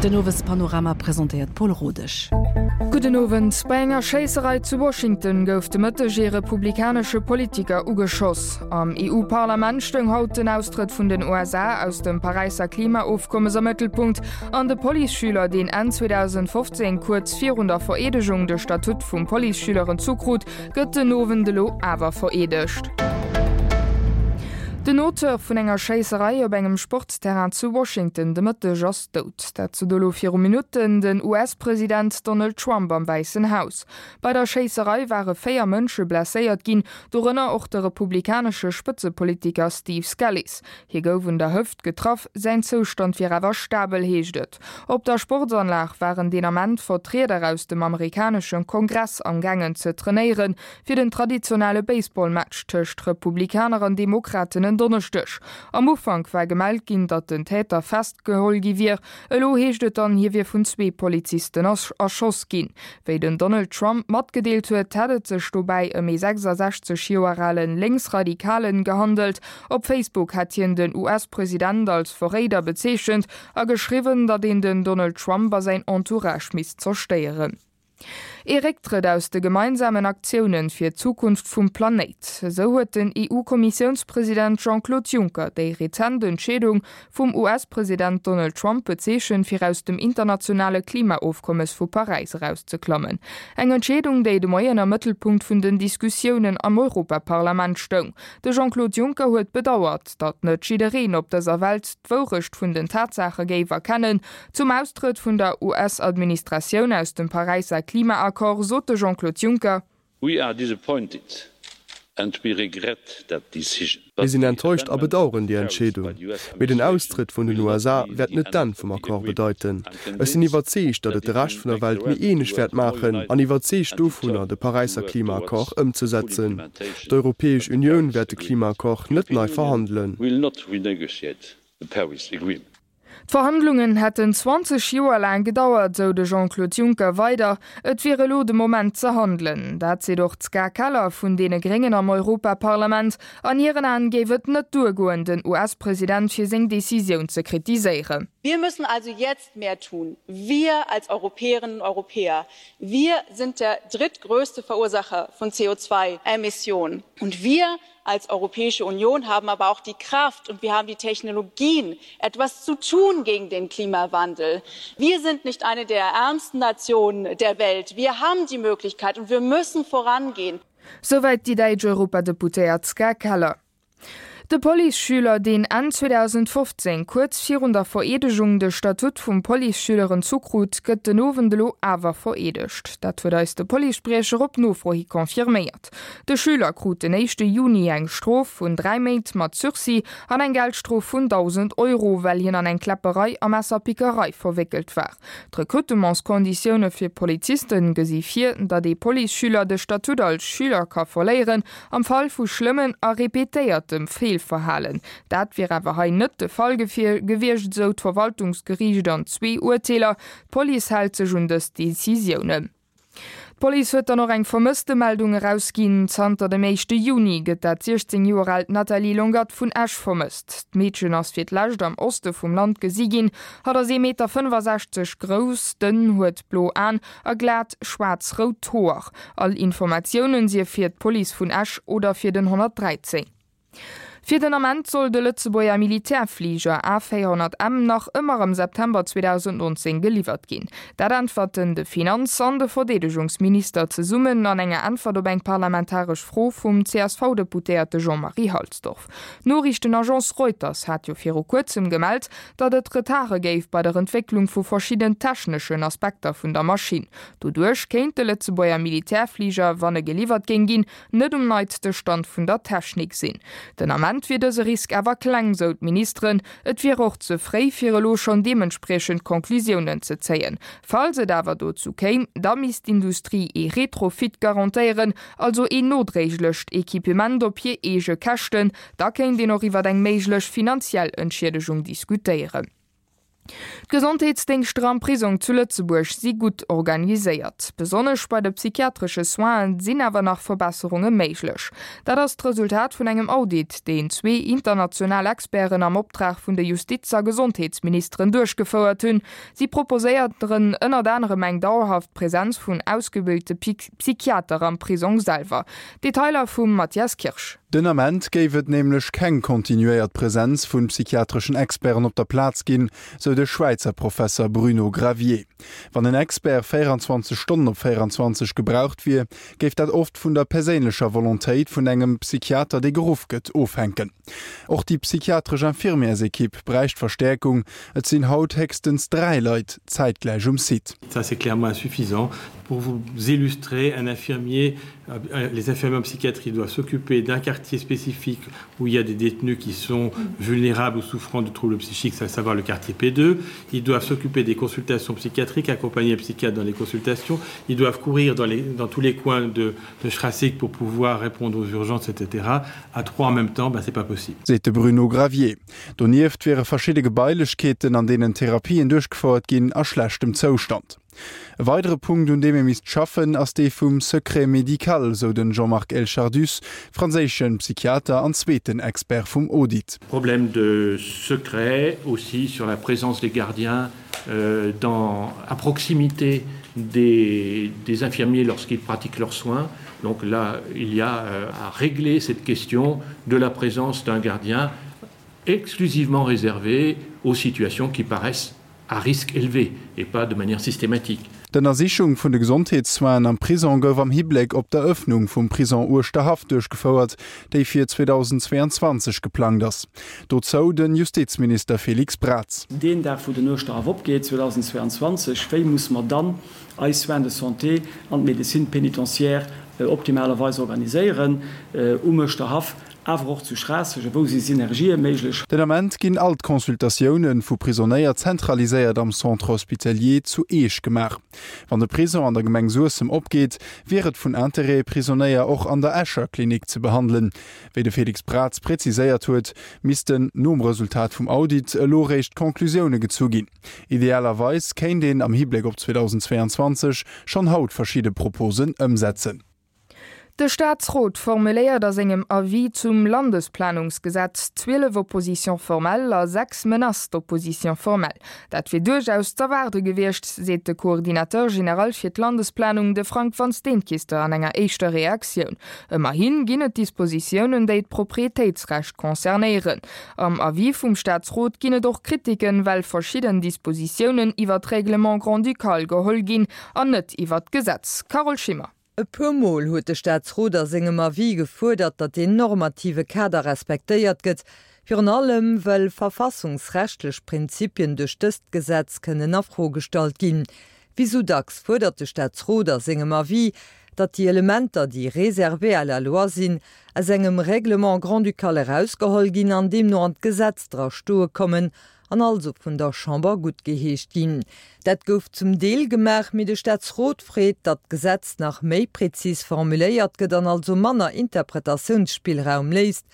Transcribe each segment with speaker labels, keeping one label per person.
Speaker 1: Den Owespanorama presentéiert d'Paul Rodesch.
Speaker 2: Gudden Owend. Bei enger Schéisserei zu Washington gouf de Mëtteg ee republikanesche Politiker ugeschoss. Am EU-Parlament stoung haut den Austrëtt vun den USA aus dem Paräisser Klimaofkommes am Mëttelpunkt an de Policeschüler, deen Enn 2015 kuerz virun der Vereedegung de Statut vum Policeschüler entzu krut, gëtt den Owend elo awer vereedegt. Den Auteur vun enger Schéisserei op engem Sportsterrain zu Washington de Mëtteg ass dout. Dat sot elo viru Minutten den US-President Donald Trump am Wäissen Haus. Bei der Schéisserei ware 4 Mënsche blesséiert ginn, dorënner och de republikanesche Spëtzepolitiker Steve Scalise. Hie gouf un der Hëft getraff, säin Zoustand wier awer stabel, heescht et. Op der Sportsanlag waren deen Ament Vertrieder aus dem amerikanesche Kongress am gaangen ze trainéieren, fir den traditionelle Baseballmatch tëscht Republikaner an Demokraten en Donneschdeg. Am Ufank war gemellt ginn, datt den Täter festgeholl gi wier. Elo heescht et dann, hie wier vun zwee Polizisten erschoss ginn. Wéi den Donald Trump matgedeelt huet, hätt et sech dobäi ëm ee 66 Joer ale Lénksradikalen gehandelt. Op Facebook hätt hien den US-President als Verréider bezeechent a geschriwwen, datt een den Donald Trump a säin Entourage misst zerstéieren. Ee Récktrëtt aus de gemeinsamen Aktiounen fir d'Zukunft vum Planéit, esou huet den EU-Kommissiounspresident Jean-Claude Juncker déi rezent Entscheedung vum US-President Donald Trump bezeechent, fir aus dem internationale Klimaofkommes vu Paräis erauszeklammen. Eng Entscheedung, déi de Moien am Mëttelpunkt vun den Diskussiounen am Europaparlament stoung. De Jean-Claude Juncker huet bedauert, datt net jiddereen op dëser Welt d'Wourecht vun den Tatsaache géif erkennen. Zum Austrëtt vun der US-Administratioun aus dem Paräisser Klimaaccord sot de Jean-Claude Juncker.
Speaker 3: We are disappointed and we regret that decision.
Speaker 4: Mir sinn enttäuscht a bedaueren déi Entscheedung. Mee den Austrëtt vun den USA wäert net d'Enn vum Accord bedeiten. Ech sinn iwwerzeegt, datt et de Rescht vun der Welt méi eeneg wäert maachen an iwwerzeegt dovunner, de Paräisser Klimaaccord ëmzesetzen. D'Europäesch Unioun wäert de Klimaaccord net nei verhandelen.
Speaker 2: D'Verhandlungen hätten 20 Joer laang gedauert, sou de Jean-Claude Juncker weider. Et wier elo de Moment ze handelen. Dat seet och d'Ska Keller vun deene Gréngen am Europaparlament. An hiren Aen géif et net duergoen, den US-President fir seng Decisioun ze kritiséieren.
Speaker 5: Wir müssen also jetzt mehr tun, wir als Europäerinnen und Europäer. Wir sind der drittgrößte Verursacher von CO2-Emissionen. Und wir als Europäische Union haben aber auch die Kraft und wir haben die Technologien, etwas zu tun gegen den Klimawandel. Wir sind nicht eine der ärmsten Nationen der Welt. Wir haben die Möglichkeit und wir müssen vorangehen.
Speaker 2: Soweit die däitsch Europadeputéiert Ska Keller. De Policeschüler, deen Enn 2015, kuerz virun der Vereedegung, de Statut vum Policeschüler entzu krut, gëtt den Owend elo awer vereedegt. Dat huet eis de Policespriecher op Nofro hi confirméiert. De Schüler krut den éischte Juni eng Strof vun 3 Méint mat Sursis an eng Geldstrof vun 1.000 Euro, well hien an eng Kläpperei a Messerpickerei verwéckelt war. D'Rekrutementskonditioune fir Poliziste gesi vir, datt ee Policeschüler de Statut als Schüler ka verléieren, Am Fall vu schlëmmen a repetéiertem Feelverhalen. Dat wier awer hei net de Fall gewiescht, esou d'Verwaltungsgeriicht an zwee Urteeler. D'Police hält sech un dës Decisiounen. D'Police huet dann och eng Vermësstemeldung erausginn. Zanter dem éischte Juni gëtt dat 16 Joer aalt Nathalie Longat vun Esch vermësst. D'Meedchen ass fir d'lescht am Oste vum Land gesi ginn. Hatt ass ee Meter 65 grouss, dënn, huet blo Aen a glat schwaarz-rout Hoer. All Informatiounen sief fir d'Police vun Esch oder fir den 113. Fir den Ament soll de Lëtzebuerger Militärfliger A400M nach ëmmer am September 2019 geliwwert ginn. Dat äntwerten de Finanz an de Verdeedegungsminister zesummen an enger Äntwert op eng parlamentaresch Fro vum CSV-Deputéierte Jean-Marie Halsdorf. D'Noriichtenagence Reuters hat jo viru kuerzem gemellt, datt et Retarde géif bei der Entwécklung vu verschidden techneschen Aspekter vun der Maschinn. Doduerch kéint de Lëtzebuerger Militärfliger, wann e geliwwert géing ginn, net um neitste Stand vun der Technik sinn. Den Ament wier dëse Risk awer kleng, sou d'Ministeren. Et wier och ze fréi, fir elo schonn deementspriechend Conclusiounen ze zéien. Falls et awer dozou kéim, da misst d'Industrie ee Retrofit garantéieren, also een nodréiglecht Equipement op hir eege Käschten, Da kéint een och iwwer eng méiglech finanziell Entschiedegung diskutéieren. D'Gesondheetsdéngschter am Prisong zu Lëtzebuerg si gutt organiséiert. Besonnesch bei de psychiatresche Soinen sinn awer nach Verbesserunge méiglech. Dat ass d'Resultat vun engem Audit, deen zwee international Experten am Optrag vun de Justiz a Gesondheetsministeren duerchgefouert hunn. Si proposéieren ënnert anerem eng dauerhaft Presenz vun ausgebilte Psychiater am Prisong selwer. Detailer vum Mathias Kirsch.
Speaker 6: Den Ament géif et nämlech keng kontinuéiert Presenz vu psychiatreschen Experten op der Plaz ginn, sou de Schwäizer Professer Bruno Gravier. Wann en Expert 24 Stonnen op 24 gebraucht wier, géif dat oft vun der perséinlecher Volontéit vun engem Psychiater, dee geruff gëtt, ofhänken. Och déi psychiatresch Infirmièrsekipp bräicht Verstäerkung, et sinn haut héchstens 3 Leit zäitgläich um Site.
Speaker 7: Ça c'est clairement insuffisant. Pour vous illustrer, un infirmier, les infirmiers en psychiatrie doivent s'occuper d'un quartier spécifique où il y a des détenus qui sont vulnérables ou souffrant de troubles psychiques, à savoir le quartier P2. Ils doivent s'occuper des consultations psychiatriques, accompagner un psychiatre dans les consultations. Ils doivent courir dans, les, dans tous les coins de, de Schrassig pour pouvoir répondre aux urgences, etc. À trois en même temps, ben, c'est pas possible.
Speaker 6: Seet de Bruno Gravier. Donieft wiere verschidde Gebailechkeeten, an deenen Therapien duerchgefouert ginn, a schlechtem Zoustand. E weidere Punkt, un deem ee misst schaffen, ass dee vum Secret médical, sou den Jean-Marc Elchardus, franséische Psychiater an zweeten Expert vum Audit.
Speaker 8: Problème de secret aussi sur la présence des gardiens dans à proximité des, des infirmiers lorsqu'ils pratiquent leurs soins. Donc là, il y a euh, à régler cette question de la présence d'un gardien exclusivement réservé aux situations qui paraissent à risque élevé et pas de manière systématique.
Speaker 6: D'Ënnersichung vun de Gesondheetssoinen am Prisong gouf am Hibléck op d'Erëffnung vum Prisong Uerschterhaff duerchgefouert, déi fir 2022 geplangt ass. Dozou de Justizminister Félix Braz.
Speaker 9: Deen Dag, wou den Uerschterhaff opgeet, 2022, wéi musse mer dann eis Soins de santé an d'Médecine pénitentiaire optimalerweis organiséieren um Uerschterhaff, awer och zu Schraasseg? A wou si Synergië méiglech?
Speaker 6: Den Ament ginn all d'Consultatioune vu Prisonéier zentraliséiert am Centre hospitalier zu Eech gemaach. Wann de Prison an der Gemeng Suessem opgeet, wier et vun Interêt, Prisonéier och an der Escher Klinik ze behandelen. Wéi de Félix Braz präziséiert huet, missten nom Resultat vum Audit elo réischt Conclusioune gezu ginn. Idealerweis kéint een am Hibléck op 2022 schonn haut verschidde Proposen ëmsetzen.
Speaker 2: De Staatsrot formuléiert a sengem Avis zum Landesplanungsgesetz 12 Oppositions formelles a 6 Menaces d'opposition formelle. Dat wier duerchaus z'erwaarde gewiescht, seet de Coordinateur général fir d'Landesplanung, de Frank Vansteenkiste an enger éischter Reaktioun. Ëmmerhi ginn et Dispositiounen, déi d'Proprietéitsrecht concernéieren. Am Avis vum Staatsrot ginn et och Kritiken, well verschidden Dispositiounen iwwer d'Règlement grand-ducal geholl ginn an net iwwer d'Gesetz. Carole Schimmer.
Speaker 10: E puer Mol huet de Staatsrot a sengem Avis gefuerdert, datt deen normative Kader respektéiert gëtt, virun allem well verfassungsrechtlech Prinzipien duerch dëst Gesetz kënnen a Fro gestallt ginn. Wéi sou dacks fuerdert de Staatsrot a sengem Avis, datt déi Elementer, déi réservés à la loi sinn, aus engem Règlement grand-ducal erausgeholl ginn an deemno an d'Gesetz dra stoe kommen an also vun der Chamber guttgeheescht ginn. Dat gouf zum Deel gemaach, mee de Staatsrot freet, datt d'Gesetz nach méi prezis formuléiert gëtt an also manner Interpretatiounsspillraum léisst,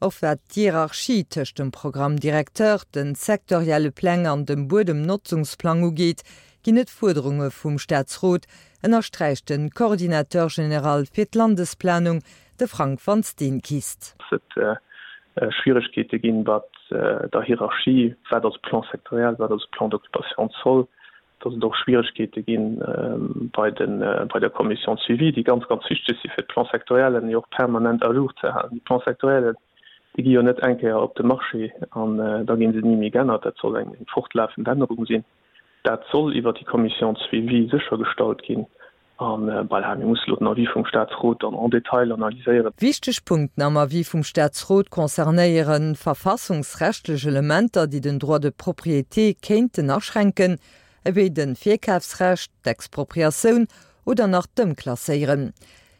Speaker 10: och wat d'Hierarchie tëscht dem Programme directeur, de sektorielle Pläng an dem Buedemnotzungsplang ugeet, ginn et Fuerderunge vum Staatsrot, ënnersträicht de Coordinateur général fir d'Landesplanung, de Frank Vansteenkist.
Speaker 11: Schwieregkeete ginn, wat der Hierarchie, wat ass e Plan sectoriel, wat ass e Plan d'occupation de sol, dass et och Schwieregkeete gi bei de bei der Commission de suivi, déi ganz, ganz wichteg si fir d'Plans sectoriellen jo och permanent à jour ze halen. Déi Plans sectoriellen, déi gi jo net eng Kéier op de Marché an da gi se ni méi geännert. Dat soll eng fortlaafend Ännerung sinn. Dat soll iwwert déi Commission de suivi séchergestallt ginn. A voilà, mir musse elo den Avis vum Statsrot dann en détail analyséieren.
Speaker 10: Wichteg Punkten am Avis vum Statsrot concernéiere verfassungsrechtlech Elementer, déi den Droit de propriété kéinten aschränken, ewéi de Virkafsrecht, d'Expropriatioun oder nach d'Ëmklasséieren.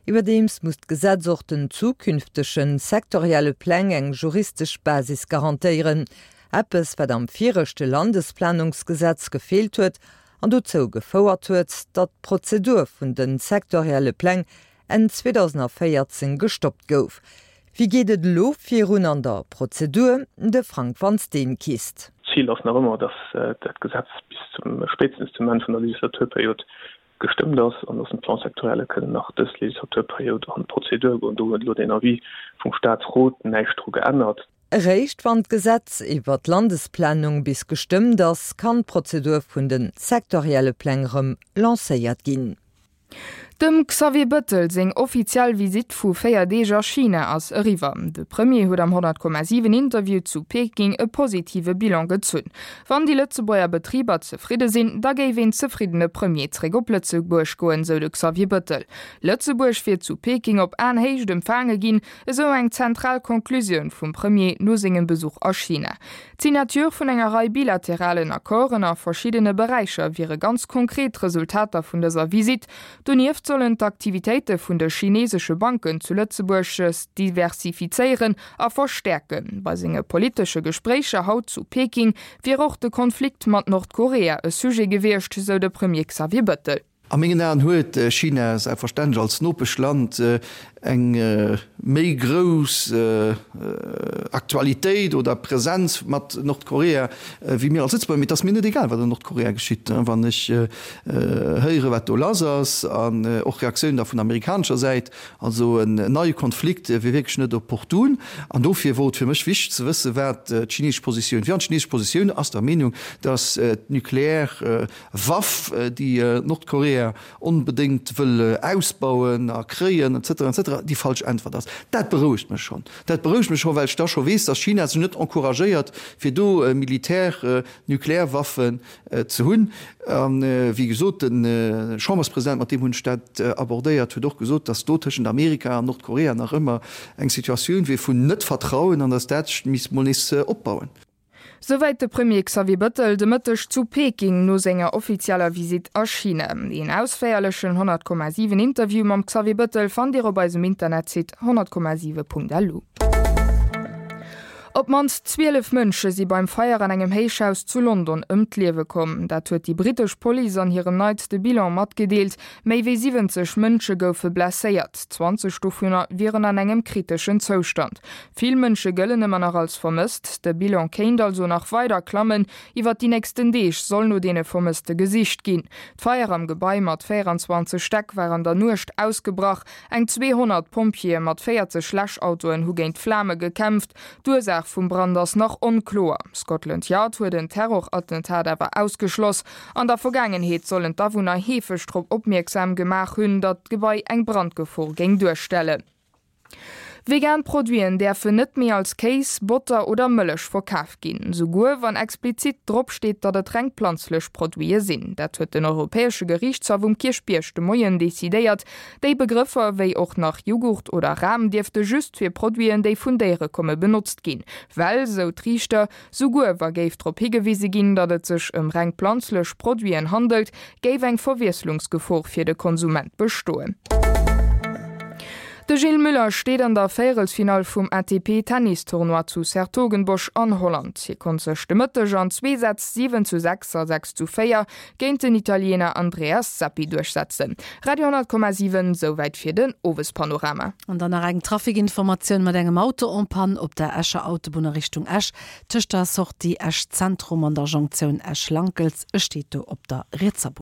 Speaker 10: Iwwerdeems muss d'Gesetz och den zukünftege sektorielle Pläng eng juristesch Basis garantéieren, eppes wat am viregte Landesplanungsgesetz gefeelt huet an dozou gefouert huet, datt d'Prozedur vun de sektorielle Pläng Enn 2014 gestoppt gouf. Wéi geet et elo virun an der Prozedur? De Frank Van Steenkist.
Speaker 11: D'Zil ass nach ëmmer, datt dat Gesetz bis zum, spéitstens zum Enn vun der Legislaturperiod gestëmmt ass an datt d'Plans sectorielle kënnen nach dës Legislaturperiod an d'Prozedur goen. Do huet elo deen Avis vum Statsrot näischt dru geännert.
Speaker 10: Eréischt wann d'Gesetz iwwer d'Landesplanung bis gestëmmt ass, kann d'Prozedur vun de sektorielle Pläng rëm lancéiert ginn.
Speaker 2: Dem Xavier Bëttel seng offiziell Visitt vu 4 Deeg a China ass eriwwer. De Premier huet am 100,7 Interview zu Peking e positive Bilan gezunn. Wann déi Lëtzebuerger Betriber zefridde sinn, da géif een zefriddene Premier zréck op Lëtzebuerg goen, sou de Xavier Bëttel. Lëtzebuerg wier zu Peking op Aenhéicht empfaange ginn, esou eng zentral Conclusioun vum Premier no sengem Besuch a China. D'Signature vun enger Rei bilateralen Accorden a verschiddene Beräicher wiere ganz konkret Resultater vun dëser Visitt. Donieft sollen d'Aktivitéite vun de chinesesche Banken zu Lëtzebuerg sech diversifizéieren a verstäerken. Bei senge politesche Gespréicher haut zu Peking wier och de Konflikt mat Nordkorea e Sujet gewiescht, sou de Premier Xavier Bëttel.
Speaker 12: A mengen Aen huet China selbstverständlech als Nopeschland eng méi grouss Aktualitéit oder Präsenz mat Nordkorea wéi mir als Lëtzebuerger. Mee et ass mir net egal, wat an Nordkorea geschitt. Wann ech héiere wat do lass ass an och Reaktiounen da vun amerikanescher Säit, also en neie Konflikt wier wierklech net opportun. An dofir wor et fir mech wichteg ze wësse wat d'chinesesch Positioun wier. An d'chinesesch Positioun ass der Meenung, datt d'nukleär Waff, déi Nordkorea onbedéngt wëll ausbauen a kréien, et cetera, et cetera, déi falsch Äntwert ass. Dat berouegt mech schonn. Dat berouegt mech schonn, well ech da scho weess, datt China sech net encouragéiert, fir do Militär, Nuklearwaffen ze hunn. A wéi gesot, de Chamberspresident, mat deem hunn ech dat abordéiert, huet och gesot, datt do tëschent Amerika an Nordkorea nach ëmmer eng Situatioun wier vun Net-Vertrauen an datt dat sech misst mol nees opbauen.
Speaker 2: Souwäit de Premier Xavier Bëttel de Mëtteg zu Peking no senger offizieller Visitt a China. Een ausféierlechen 100,7 Interview mam Xavier Bëttel fannt Dir op eisem Internetsite 100,7.lu. Op d'mannst 12 Mënsche si beim Feier an engem Héichhaus zu London ëm d'Liewe komm. Dat huet déi brittesch Police an hirem neitste Bilan matgedeelt. Méi wéi 70 Mënsche goufe blesséiert, 20 dovunner wieren an engem kriteschen Zoustand. Vill Mënsche gëllen ëmmer nach als vermësst. De Bilan kéint also nach weider klammen. Iwwer déi nächsten Deeg soll no deene Vermësste gesicht ginn. D'Feier am Gebai mat 24 Stäck war an der Nuecht ausgebrach. Eng 200 Pompjeeë mat 40 Läschautoen hu géint d'Flame gekämpft. D'Ursaach vum Brand ass nach onkloer. Scotland Yard huet en Terrorattentat awer ausgeschloss. An der Vergaangenheet sollen d'Awunner heefeg drop opmierksam gemaach hunn, datt d'Gebai eng Brandgefor géing duerstellen. Vegan Produiten däerfen net méi als Kéis, Botter oder Mëllech verkaf ginn, souguer wann explizit drop steet, datt et reng planzlech Produite sinn. Dat huet den Europäesche Geriichtshaff um Kierchbierg de Moien decidéiert. Déi Begrëffer, wéi och nach Jughurt oder Ram, dierfte just fir Produiten, déi vun Déiere komme benotzt ginn, well, sou d'Riichter, Souguer wa géif drop higewise ginn, datt et sech ëm reng planzlech Produiten handelt, géif eng Verwiesslungsgefor fir de Konsument bestoen. De Gilles Müller steet an der Véierelsfinall vum ATP-Tennis-Tournoi zu 's-Hertogenbosch an Holland. Hie konnt sech de Mëtteg an zwee Sätz 7 zu 6 a 6 zu 4 géint den Italiener Andreas Seppi duerchsetzen. Radio 10,7, Souwäit fir den Owespanorama.
Speaker 1: An dann nach eng Trafikinformatioun mat engem Auto en panne op der Escher Autobunn a Richtung Esch, tëscht der Sortie Esch Zentrum an der Jonktioun Esch-Lankels. E steet do op der rietser Bunn.